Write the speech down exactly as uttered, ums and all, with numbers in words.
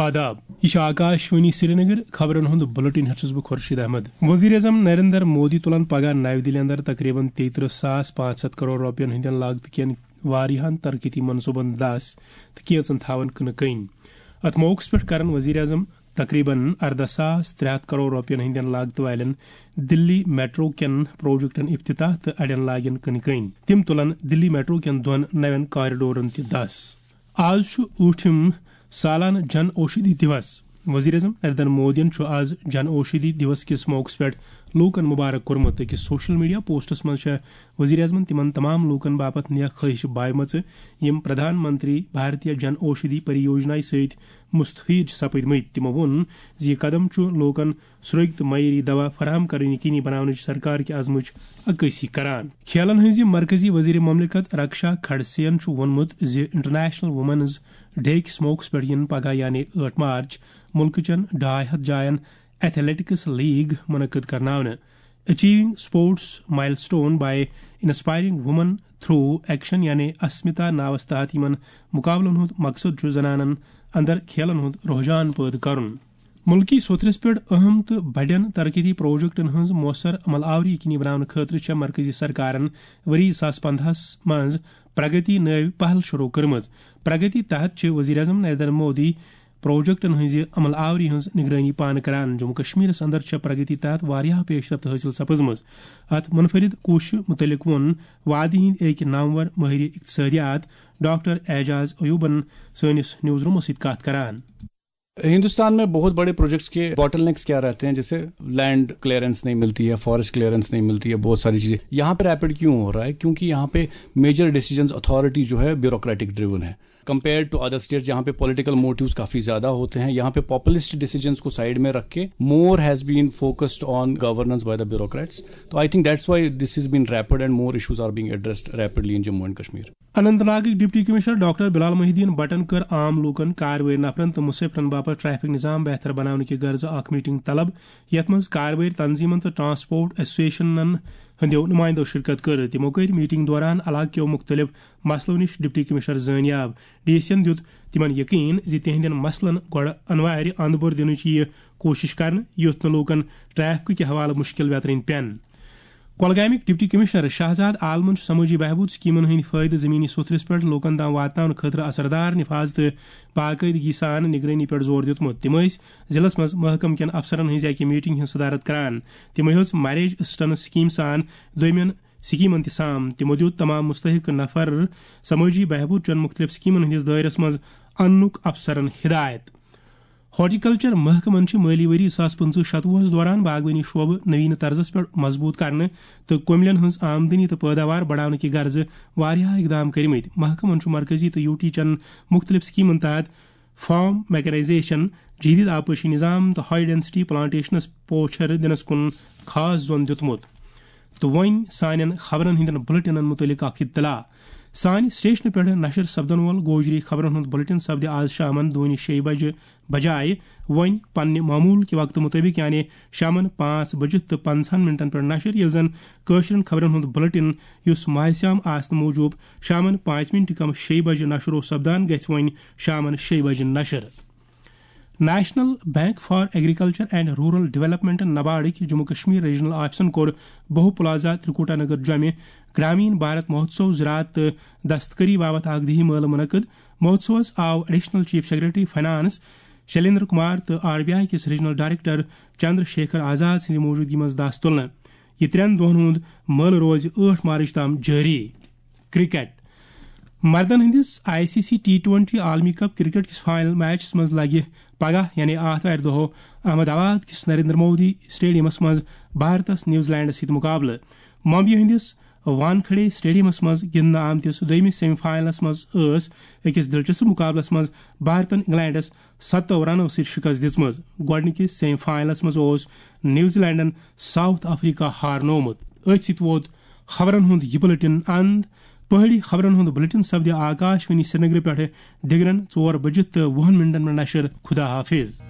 آداب، یہِ چھُ آکاش وانی سرینگر۔ خبرن ہُنٛد بُلٹن ہٮ۪تھ چھُس بہٕ خورشید احمد۔ وزیر اعظم نریندر مودی تُلن پگاہ نَوِ دِلہِ اندر تقریباً تیٚیہِ ترٕٛہ ساس پانٛژھ ہَتھ کرور رۄپین ہٕنٛدٮ۪ن لاگتہٕ کٮ۪ن واریاہن ترقیتی منصوبن دس تہٕ کینژن تھاون کٕنہٕ کٔنۍ۔ اتھ موقعس پٮ۪ٹھ کرن وزیر اعظم تقریباً ارداہ ساس ترٛےٚ ہَتھ کرور رۄپین ہٕنٛدٮ۪ن لاگتہٕ والٮ۪ن دِلی میٹرو کٮ۪ن پروجیکٹن افتتاح تہٕ اڑٮ۪ن لاگن کٕنہٕ کٔنۍ۔ تِم تُلن دِلی میٹرو کٮ۪ن دۄن نوٮ۪ن کوریڈورن تہِ دس۔ آز چھُ ٲٹھِم سالانہٕ جن اوشدھی دیوس۔ وزیر اعظم نریندر مودیَن چھُ آز جن اوشدھی دیوس کِس موقعس پٮ۪ٹھ لوٗکَن مبارک کوٚرمُت۔ أکِس سوشل میڈیا پوسٹَس منٛز چھےٚ وزیر اعظمَن تِمَن تمام لوٗکَن باپتھ نیک خواہش بایمژٕ، یِم پردھان منتری بھارتیہ جن اوشدھی پریوجنایہِ سۭتۍ مستفید چھِ سپٕدمٕتۍ۔ تِمَو ووٚن زِ یہِ قدم چھُ لوٗکَن سرٛوگۍ تہٕ معیٲری دوا فراہم کرٕنۍ یقینی بناونٕچ سرکار کہِ عزمٕچ عکٲسی کران۔ کھیلن ہٕنٛزِ مرکزی وزیر مملکت رکشا کھڑسے ین چھُ ووٚنمُت زِ انٹرنیشنل وومنز ڈے کِس موقعس پٮ۪ٹھ یِن پگاہ یعنی ٲٹھ مارچ مُلکہٕ چٮ۪ن ڈاے ہتھ جاین ایتھلیٹکس لیگ منعقد کرناونہٕ۔ Achieving Sports Milestone by Inspiring Women Through Action یعنی اسمتا ناوس تحت یِمن مقابلن ہُنٛد مقصد چھُ زنانن اندر کھیلن ہُنٛد رجحان پٲدٕ کرُن۔ مُلکی سوٚتھرِس پٮ۪ٹھ اہم تہٕ بڑٮ۪ن ترقیتی پروجیکٹن ہٕنٛز مؤثر عمل آوری یقینی بناونہٕ خٲطرٕ چھےٚ مرکزی سرکارن ؤری زٕ ساس پنٛداہس منٛز پرگتی نٲوۍ پہل شروع کٔرمٕژ۔ پرگتی تحت چھِ وزیر اعظم نریندر مودی پروجیکٹن ہٕنٛزِ عمل آوری ہٕنٛز نگرٲنی پانہٕ کران۔ جموں کشمیرس اندر چھےٚ پرگتی تحت واریاہ پیش رفت حٲصِل سپٕزمٕژ۔ اتھ منفرد کوٗششہِ متعلق ووٚن وادی ہٕنٛدۍ أکۍ نامور مٲہرِ اقتصادیات ڈاکٹر اعجاز ایوبن سٲنِس نیوز رومس سۭتۍ کتھ کران۔ ہندوستان میں بہت بڑے پروجیکٹس کے بوٹل نیکس کیا رہتے ہیں؟ جیسے لینڈ کلیئرنس نہیں ملتی ہے، فارسٹ کلیئرنس نہیں ملتی ہے، بہت ساری چیزیں۔ یہاں پہ ریپڈ کیوں ہو رہا ہے؟ کیونکہ یہاں پہ میجر ڈیسیجنز اتھارٹی جو ہے بیوروکریٹک ڈریون ہے، کمپیئرڈ ٹو ادر اسٹیٹس جہاں پہ پولیٹیکل موٹیوز کافی زیادہ ہوتے ہیں۔ یہاں پہ پاپولسٹ ڈیسیجنز کو سائیڈ میں رکھ کے more has been focused on governance by the bureaucrats. تو I think that's why this has been rapid and more issues are being addressed rapidly in Jammu and Kashmir. اننت ناگٕکۍ deputy commissioner doctor Bilal Mohiuddin بٹن کٔر عام لوٗکن، کاروٲرۍ نفرن تہٕ مسافرن باپتھ ٹریفک نظام بہتر بناونہٕ کہِ غرضہٕ اکھ میٹنگ طلب، یتھ منٛز کاروٲرۍ تنظیمن تہٕ ٹرانسپورٹ ایسوسیشنن ہٕنٛدیو نمائندو شرکت کٔر۔ تِمو کٔرۍ میٹنگ دوران علاقہٕ کیو مُختٔلِف مسلو نِش ڈپٹی کمشنر زٲنیاب۔ ڈی سی ین دیُت تِمن یقین زِ تِہنٛدٮ۪ن مسلن گۄڈٕ انوارِ اند بور دِنٕچ یِیہِ کوٗشش کرنہٕ، یُتھ نہٕ لوٗکن ٹریفکہٕ کہِ حوالہٕ مُشکل ویترٕنۍ پٮ۪ن۔ کۄلگامٕکۍ ڈپٹی کمشنر شہزاد عالمن چھُ سمٲجی بہبود سکیمن ہٕنٛدۍ فٲیدٕ زمینی سوٚتھرِس پٮ۪ٹھ لوٗکن تام واتناونہٕ خٲطرٕ اثردار نفاذ تہٕ باقٲعدگی سان نگرٲنی پٮ۪ٹھ زور دیُتمُت۔ تِم ٲسۍ ضلعس منٛز محکمہٕ کٮ۪ن افسرن ہٕنٛزِ اکہِ میٹنگ ہٕنٛز صدارت کران۔ تِمو ہیوٚژ میریج اسسٹنس سکیم سان دوٚیمٮ۪ن سکیمن تہِ سام۔ تِمو دیُت تمام مستحق نفر سمٲجی بہبود چٮ۪ن مختلف سکیمن ہٕنٛدِس دٲیرس منٛز اننُک افسرن ہدایت۔ ہارٹیکلچر محکمن چھِ مٲلی ؤری زٕ ساس پٕنٛژٕہ شتوُہس دوران باغبٲنی شعبہٕ نوینہٕ طرزس پٮ۪ٹھ مضبوٗط کرنہٕ تہٕ کۄملٮ۪ن ہٕنٛز آمدنی تہٕ پٲداوار بڑاونہٕ کہِ غرضہٕ واریاہ اقدام کٔرمٕتۍ۔ محکمن چھُ مرکزی تہٕ یوٗ ٹی چٮ۪ن مُختٔلِف سکیمن تحت فارم میکنائزیشن، جدید آبپاشی نظام تہٕ ہائی ڈینسٹی پلانٹیشنس پوچھر دِنس کُن خاص زون دیُتمُت۔ تہٕ وۄنۍ سانٮ۪ن خبرن ہٕنٛدٮ۪ن بُلٹنن مُتعلق اکھ اطلاع۔ سانہِ سٹیشنہٕ پٮ۪ٹھٕ نشر سپدن وول گوجری خبرن ہُنٛد بُلٹن سپدِ آز شامن دۄہنہِ شیٚیہِ بجہِ بجایہِ وۄنۍ پننہِ معمول کہِ وقتہٕ مُطٲبِق، یعنی شامن پانٛژھ بجہِ تہٕ پنٛژاہن منٹن پٮ۪ٹھ نشر، ییٚلہِ زن کٲشرٮ۪ن خبرن ہُنٛد بُلٹن، یُس ماہِ صیام آسنہٕ موٗجوٗب شامن پانٛژِ منٹہِ کم شیٚیہِ بجہِ نشر اوس سپدان، گژھِ وۄنۍ شامن شیٚیہِ بجہِ نشر۔ National bank for agriculture and rural development نباڑٕکۍ جموں کشمیر ریجنل آفسن کوٚر بہو پلازہ ترکوٹا نگر جمہِ گرامین بھارت مہوتسو زراعت تہٕ دستکاری باپتھ اکھ دِہی مٲلہٕ منعقد۔ مہوتسوس آو additional chief secretary finance Shailendra Kumar تہٕ آر بی آئی کِس ریجنل ڈائریکٹر چندر شیکھر آزاد سٕنٛزِ موجودگی منٛز دَس تُلنہٕ۔ یہِ ترٛٮ۪ن دۄہن ہُنٛد مٲلہٕ روزِ ٲٹھ مارچ تام جٲری۔ کرکٹ۔ مردن ہٕنٛدِس I C C T twenty عالمی کپ کرکٹ کِس فائنل میچس منٛز لگہِ پگاہ یعنی آتھوارِ دۄہ احمد آباد کِس نریندر مودی اسٹیڈیمس منٛز بھارتس نیوزی لینڈس سۭتۍ مقابلہٕ۔ ممبئی ہٕنٛدِس وانکھڑے اسٹیڈیمس منٛز گِنٛدنہٕ آمتِس دوٚیمِس سیمی فائنلس منٛز ٲس أکِس دلچسپ مقابلس منٛز بھارتن انگلینڈس ستو رنو سۭتۍ شکست دِژمٕژ۔ گۄڈٕنِکِس سیمی فائنلس منٛز اوس نیوزی لینڈن ساؤتھ افریقہ ہارنوومُت۔ أتھۍ سۭتۍ ووت خبرن ہُنٛد یہِ بُلٹن اند۔ پہٲڑی خبرن ہُنٛد بُلٹن سپدِ آکاش وانی سرینگرٕ پٮ۪ٹھٕ دِگرن ژور بجہِ تہٕ وُہن منٹن پٮ۪ٹھ نشر۔ خدا حافظ۔